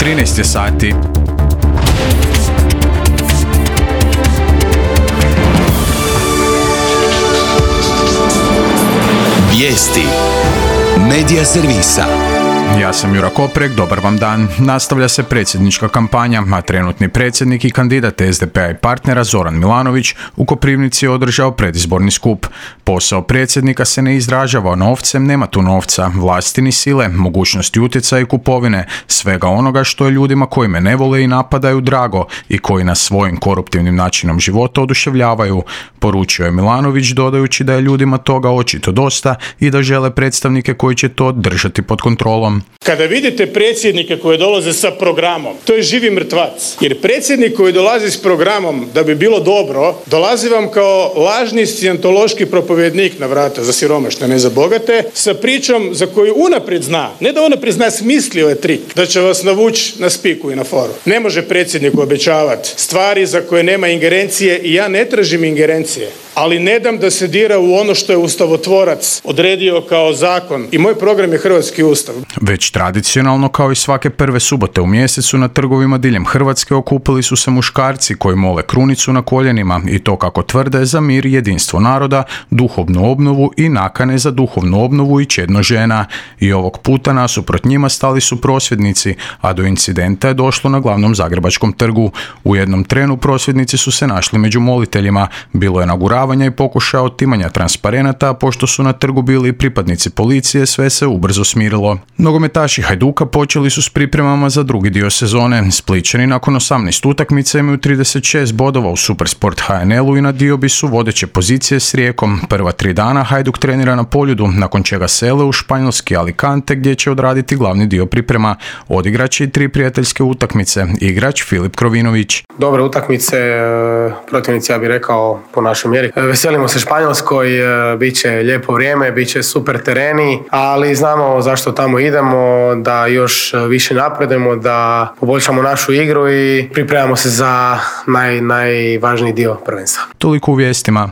13 je sati. Vijesti Medija servisa. Ja sam Jura Koprek, dobar vam dan. Nastavlja se predsjednička kampanja, a trenutni predsjednik i kandidat SDP-a i partnera Zoran Milanović u Koprivnici je održao predizborni skup. Posao predsjednika se ne izražava novcem, nema tu novca, vlasti ni sile, mogućnosti utjecaja i kupovine, svega onoga što je ljudima koji me ne vole i napadaju drago i koji nas svojim koruptivnim načinom života oduševljavaju, poručio je Milanović dodajući da je ljudima toga očito dosta i da žele predstavnike koji će to držati pod kontrolom. Kada vidite predsjednike koji dolaze sa programom, to je živi mrtvac. Jer predsjednik koji dolazi s programom da bi bilo dobro, dolazi vam kao lažni scijentološki propovjednik na vrata za siromašne, ne za bogate, sa pričom za koju unaprijed zna, ne da unaprijed zna, smislio je trik, da će vas navući na spiku i na foru. Ne može predsjedniku obećavati stvari za koje nema ingerencije i ja ne tražim ingerencije, ali ne dam da se dira u ono što je ustavotvorac odredio kao zakon. I moj program je Hrvatski ustav. Već tradicionalno, kao i svake prve subote u mjesecu, na trgovima diljem Hrvatske okupili su se muškarci koji mole krunicu na koljenima i to, kako tvrde, za mir i jedinstvo naroda, duhovnu obnovu i nakane za duhovnu obnovu i čedno žena. I ovog puta nasuprot njima stali su prosvjednici, a do incidenta je došlo na glavnom zagrebačkom trgu. U jednom trenu prosvjednici su se našli među moliteljima. Bilo je naguravanja i pokušaja otimanja transparenata, a pošto su na trgu bili i pripadnici policije, sve se ubrzo smirilo. Nogometaši Hajduka počeli su s pripremama za drugi dio sezone. Splićani nakon 18 utakmica imaju 36 bodova u Supersport HNL-u i na diobi su vodeće pozicije s Rijekom. Prva 3 dana Hajduk trenira na Poljudu, nakon čega sele u španjolski Alicante gdje će odraditi glavni dio priprema. Odigrač i 3 prijateljske utakmice. Igrač Filip Krovinović. Dobre utakmice, protivnici, ja bih rekao, po našoj mjeri. Veselimo se Španjolskoj, bit će lijepo vrijeme, bit će super tereni, ali znamo zašto tamo idemo, da još više napredujemo, da poboljšamo našu igru i pripremamo se za najvažniji dio prvenstva. Toliko u vijestima.